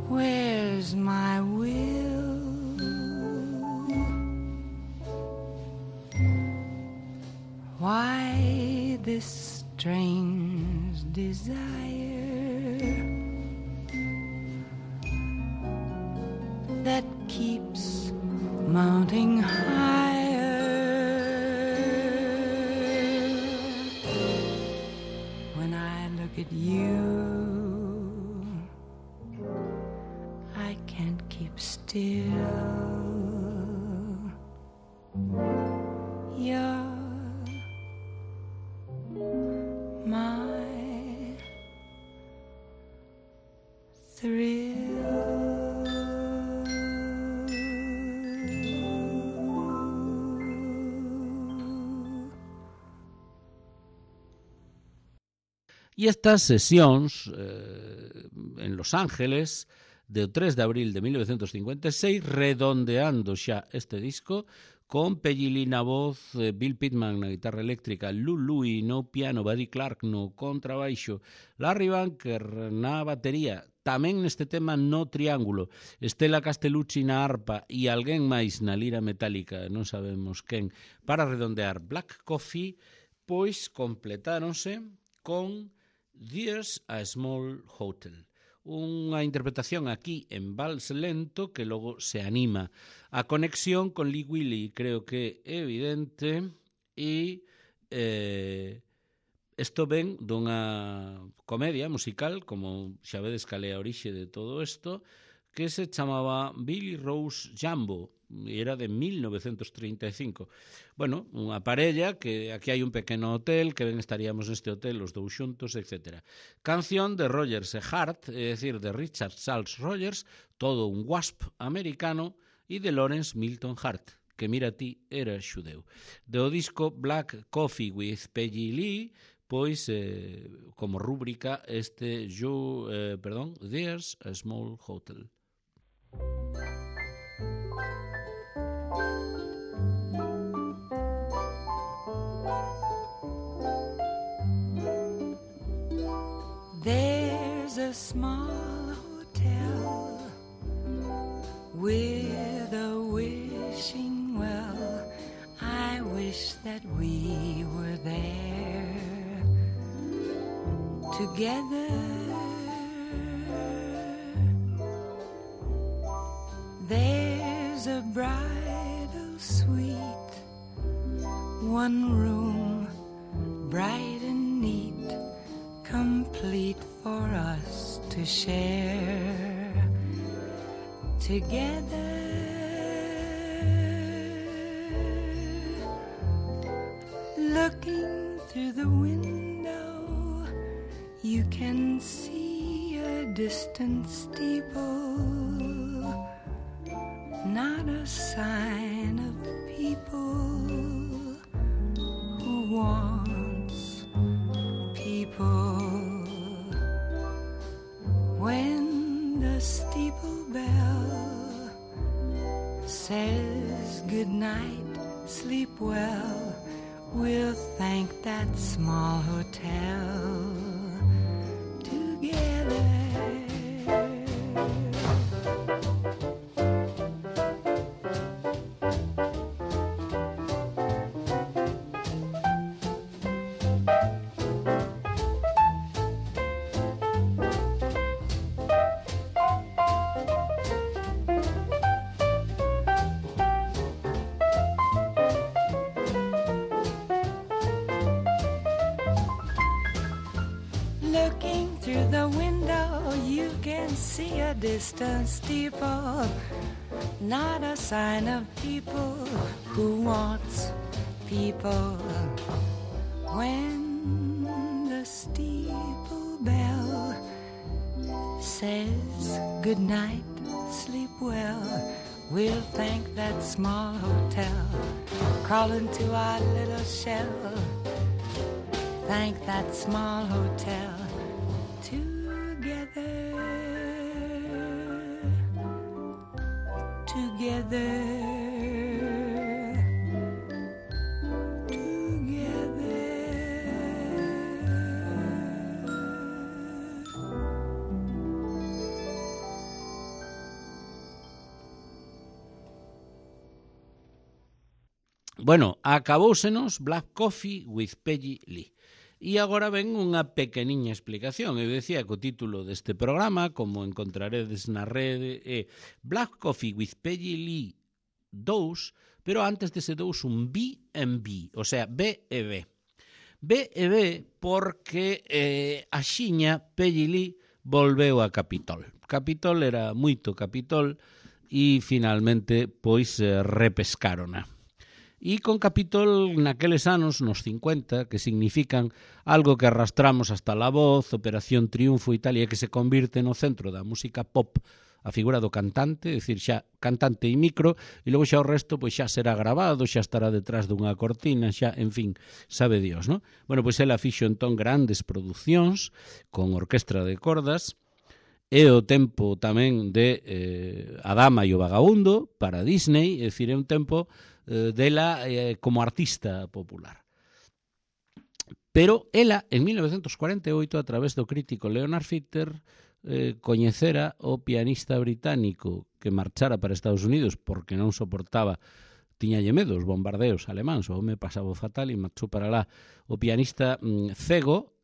[SPEAKER 2] Where's my will? Why this strange desire that keeps mounting higher? When I look at you, I can't keep still. You're my thrill.
[SPEAKER 1] E estas sesións en Los Ángeles do 3 de abril de 1956, redondeando xa este disco, con Peggy Lee na voz, Bill Pittman na guitarra eléctrica, Lou Louie no piano, Buddy Clark no contrabaixo, Larry Bunker na batería, tamén neste tema no triángulo, Stella Castellucci na arpa e alguén máis na lira metálica, non sabemos quen, para redondear Black Coffee, pois completáronse con There's a Small Hotel. Unha interpretación aquí en vals lento que logo se anima. A conexión con Lee Willy creo que é evidente e isto ven dunha comedia musical, como xa vedes cal é a orixe de todo isto, que se chamaba Billy Rose Jumbo, e era de 1935. Bueno, unha parella que aquí hai un pequeno hotel, que ben estaríamos neste hotel os dous xuntos, etc. Canción de Rogers e Hart, é dicir, de Richard Charles Rogers, todo un wasp americano, e de Lawrence Milton Hart, que mira ti, era xudeu. Do disco Black Coffee with Peggy Lee, pois, como rúbrica, este There's a Small Hotel.
[SPEAKER 2] There's a small hotel with a wishing well. I wish that we were there together. There's a bridal suite, one room, bright and neat, complete for us to share. together. Looking through the window, you can see a distant steeple, not a sign of people who wants people. When the steeple bell says good night, sleep well, we'll thank that small hotel together. Looking through the window, you can see a distant steeple, not a sign of people who wants people. When the steeple bell says good night, sleep well, we'll thank that small hotel. Crawl into our little shell, thank that small hotel together, together, together.
[SPEAKER 1] Bueno, acabóusenos Black Coffee with Peggy Lee. E agora ven unha pequeniña explicación. Eu decía que o título deste programa, como encontraredes na rede, é Black Coffee with Peggy Lee 2, pero antes dese 2 un B&B, o sea, B e B. B e B porque axiña Peggy Lee volveu a Capitol. Capitol era moito Capitol e finalmente pois repescárona. E con Capitol naqueles anos, nos 50, que significan algo que arrastramos hasta La Voz, Operación Triunfo e tal, e que se convirte no centro da música pop a figura do cantante, é dicir, xa cantante e micro, e logo xa o resto pois xa será grabado, xa estará detrás dunha cortina, xa, en fin, sabe Dios, non? Bueno, pois ela fixo entón grandes producións con orquestra de cordas, e o tempo tamén de A Dama e o Vagabundo para Disney, é dicir, é un tempo dela como artista popular. Pero ela, en 1948, a través do crítico Leonard Feather, coñecera o pianista británico que marchara para Estados Unidos porque non soportaba, tiñalle medo os bombardeos alemáns, o home pasaba fatal e marchou para lá. O pianista cego,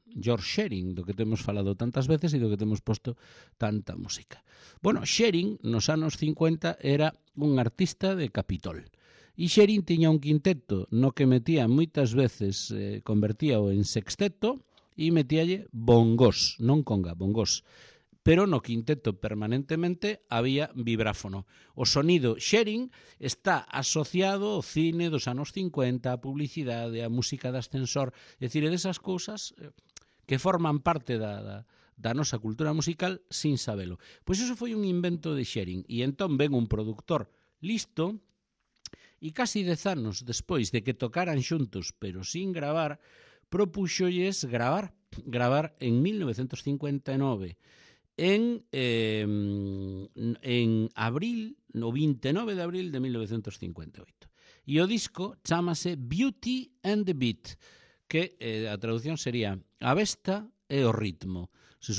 [SPEAKER 1] George Shearing, do que temos falado tantas veces e do que temos posto tanta música. Bueno, Shearing, nos anos 50, era un artista de Capitol. E Shearing tiña un quinteto no que metía moitas veces, convertíao en sexteto e metíalle bongos, non conga, bongos. Pero no quinteto permanentemente había vibráfono. O sonido Shearing está asociado ao cine dos anos 50, a publicidade, a música de ascensor, é dicir, desas cousas que forman parte da nosa cultura musical sin sabelo. Pois iso foi un invento de Shearing, e entón ven un productor listo, e casi 10 anos despois de que tocaran xuntos, pero sin gravar, propúxolles gravar en 1959, en abril, no 29 de abril de 1958. E o disco chámase Beauty and the Beat, que a traducción sería a besta e o ritmo,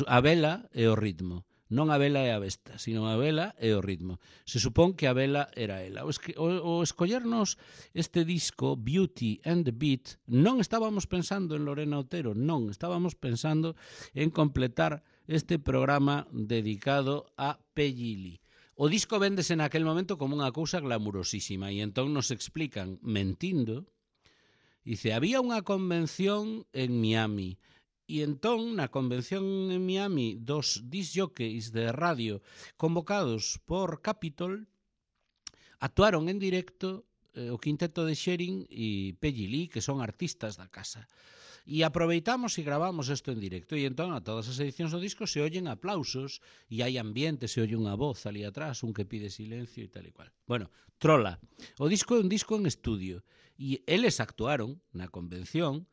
[SPEAKER 1] a vela e o ritmo. Non a vela e a besta, sino a vela e o ritmo. Se supón que a vela era ela. O escollernos este disco, Beauty and the Beat, non estábamos pensando en Lorena Otero, non, estábamos pensando en completar este programa dedicado a Peggy Lee. O disco véndese naquel momento como unha cousa glamurosísima, e entón nos explican, mentindo, dice, había unha convención en Miami, E entón, na convención en Miami dos disc jockeys de radio convocados por Capitol, actuaron en directo o quinteto de Sherin e Peggy Lee, que son artistas da casa. E aproveitamos e gravamos isto en directo. E entón, a todas as edicións do disco se oyen aplausos e hai ambiente, se oye unha voz ali atrás, un que pide silencio e tal e cual. Bueno, trola. O disco é un disco en estudio. E eles actuaron na convención,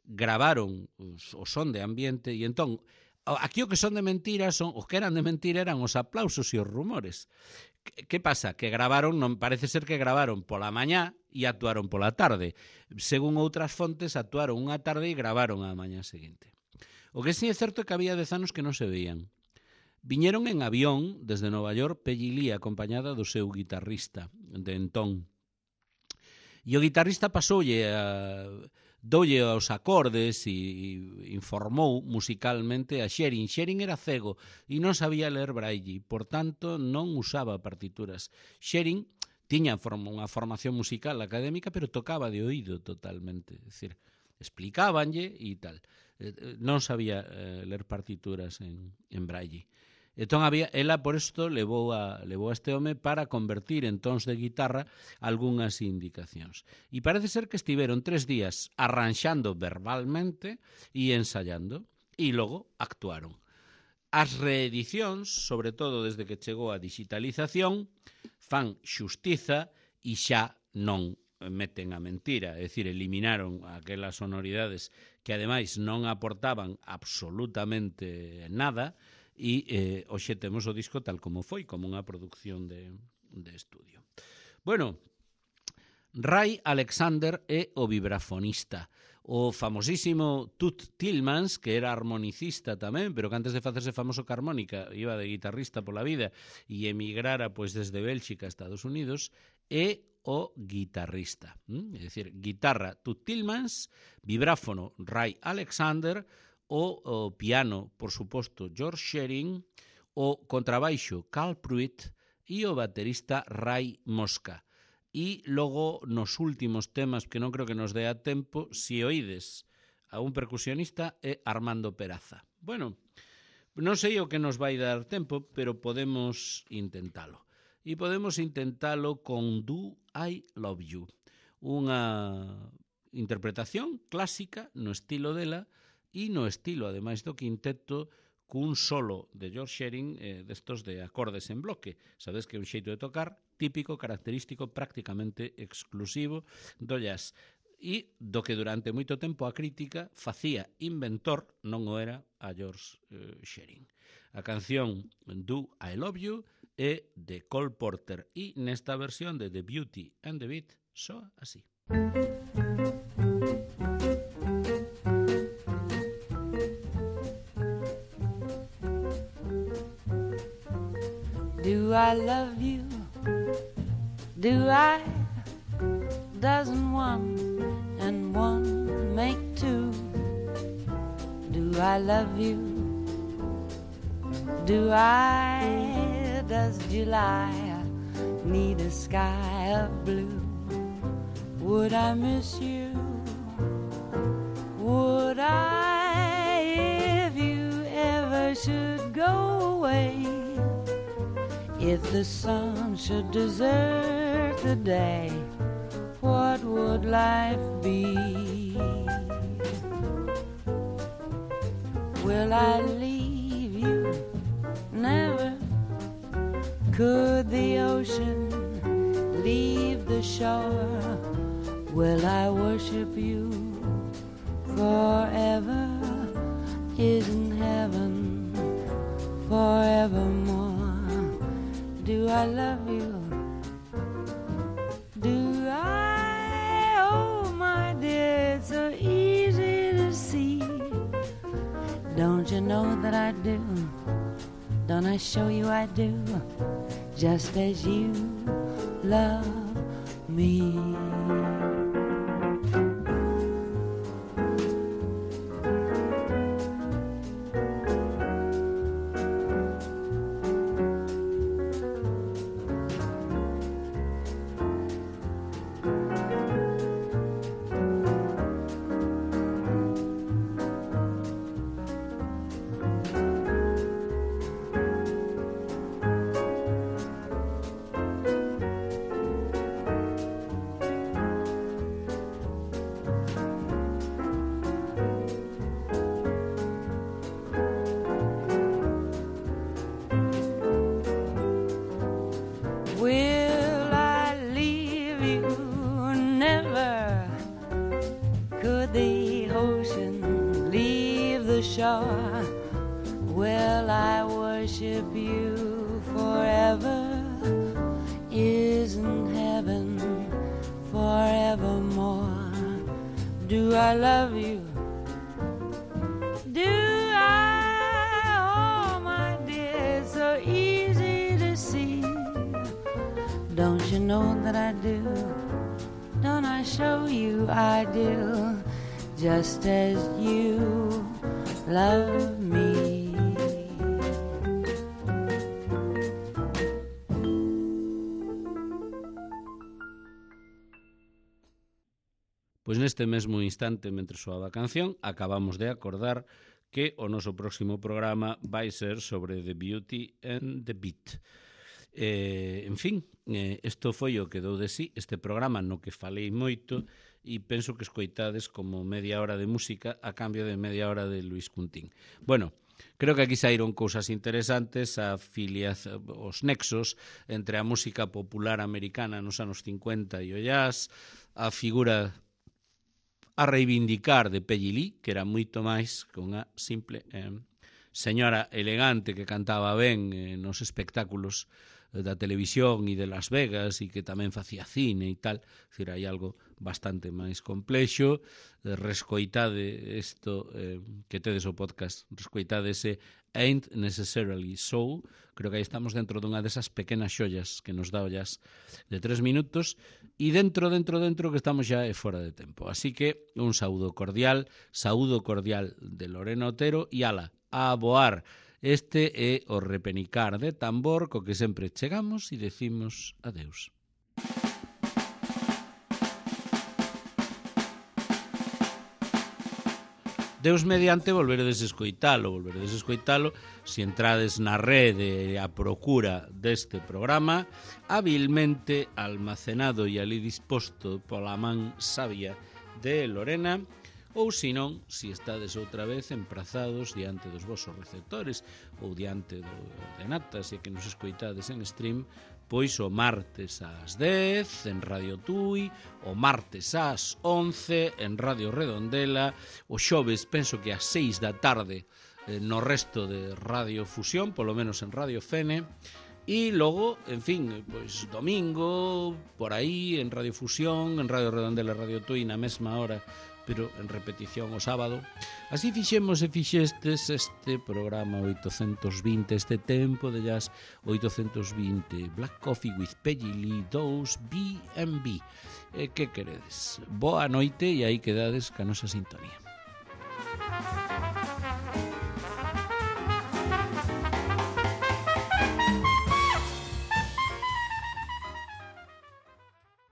[SPEAKER 1] gravaron o son de ambiente e entón aquí o que son de mentira son os que eran de mentira eran os aplausos e os rumores. Que pasa? Que gravaron, non parece ser que gravaron pola mañá e actuaron pola tarde. Según outras fontes, actuaron unha tarde e gravaron a mañá seguinte. O que sí é certo é que había 10 anos que non se veían. Viñeron en avión desde Nova York Peggy Lee acompañada do seu guitarrista de entón. E o guitarrista doulle aos acordes e informou musicalmente a Sherin. Sherin era cego e non sabía ler braille, por tanto non usaba partituras. Sherin tiña unha formación musical académica, pero tocaba de oído totalmente, é dicir, explicábanlle e tal. Non sabía ler partituras en braille. Entón, ela por isto levou a este home para convertir en tons de guitarra algunhas indicacións. E parece ser que estiveron 3 días arranxando verbalmente e ensayando, e logo actuaron. As reedicións, sobre todo desde que chegou a digitalización, fan xustiza e xa non meten a mentira, é dicir, eliminaron aquelas sonoridades que ademais non aportaban absolutamente nada, e hoxe temos o disco tal como foi, como unha producción de estudio. Bueno, Ray Alexander é o vibrafonista. O famosísimo Toots Thielemans, que era armonicista tamén, pero que antes de facerse famoso ca armónica iba de guitarrista pola vida e emigrara pois desde Bélxica a Estados Unidos, é o guitarrista. É dicir, guitarra Toots Thielemans, vibráfono Ray Alexander, o piano, por suposto, George Sherin, o contrabaixo Carl Pruitt e o baterista Ray Mosca. E logo, nos últimos temas, que non creo que nos dé a tempo, se oídes a un percusionista é Armando Peraza. Bueno, non sei o que nos vai dar tempo, pero podemos intentalo. E podemos intentalo con Do I Love You, unha interpretación clásica no estilo dela, e no estilo, ademais do quinteto, cun solo de George Sherin destos de acordes en bloque. Sabedes que é un xeito de tocar típico, característico, prácticamente exclusivo do jazz. E do que durante moito tempo a crítica facía inventor, non o era a George Sherin. A canción Do I Love You é de Cole Porter e nesta versión de The Beauty and the Beat soa así.
[SPEAKER 2] Do I love you? Do I? Doesn't one and one make two? Do I love you? Do I? Does July need a sky of blue? Would I miss you? Would I if you ever should go away? If the sun should desert the day, what would life be? Will I leave you? Never. Could the ocean leave the shore? Will I worship you forever? Isn't heaven forevermore? Do I love you? Do I? Oh, my dear, it's so easy to see. Don't you know that I do? Don't I show you I do? Just as you love me. more. Will I worship you forever? Isn't heaven forevermore? Do I love you? Do I? Oh, my dear, it's so easy to see. Don't you know that I do? Don't I show you I do? Just as you love me.
[SPEAKER 1] Pois neste mesmo instante, mentre soaba a canción, acabamos de acordar que o noso próximo programa vai ser sobre The Beauty and the Beat. En fin, isto foi o que dou de sí, este programa no que falei moito, e penso que escoitades como media hora de música a cambio de media hora de Luis Cuntín. Bueno, creo que aquí saíron cousas interesantes, os nexos entre a música popular americana nos anos 50 e o jazz, a figura a reivindicar de Peggy Lee, que era moito máis que unha simple señora elegante que cantaba ben nos espectáculos da televisión e de Las Vegas e que tamén facía cine e tal. É dicir, hai algo bastante máis complexo. Rescoitade isto que tedes o podcast, rescoitade ese Ain't Necessarily So. Creo que aí estamos dentro dunha desas pequenas xollas que nos dá o jazz de 3 minutos, e dentro que estamos xa fora de tempo. Así que un saúdo cordial de Lorena Otero, e ala, a voar. Este é o repenicar de tambor co que sempre chegamos e decimos adeus. Deus mediante volveredes escoitalo se entrades na rede a procura deste programa, habilmente almacenado e ali disposto pola man sabia de Lorena, ou senón, se estades outra vez emprazados diante dos vosos receptores ou diante do ordenata, se que nos escoitades en stream, pois o martes ás 10 en Radio Tui, o martes ás 11 en Radio Redondela, o xoves penso que ás 6 da tarde no resto de Radio Fusión, polo menos en Radio Fene, e logo, en fin, pois domingo, por aí, en Radio Fusión, en Radio Redondela, Radio Tui, na mesma hora, pero en repetición o sábado. Así fixemos e fixestes este programa 820, este tempo de jazz 820, Black Coffee with Peggy Lee 2 B&B. Que queredes? Boa noite e aí quedades ca nosa sintonía.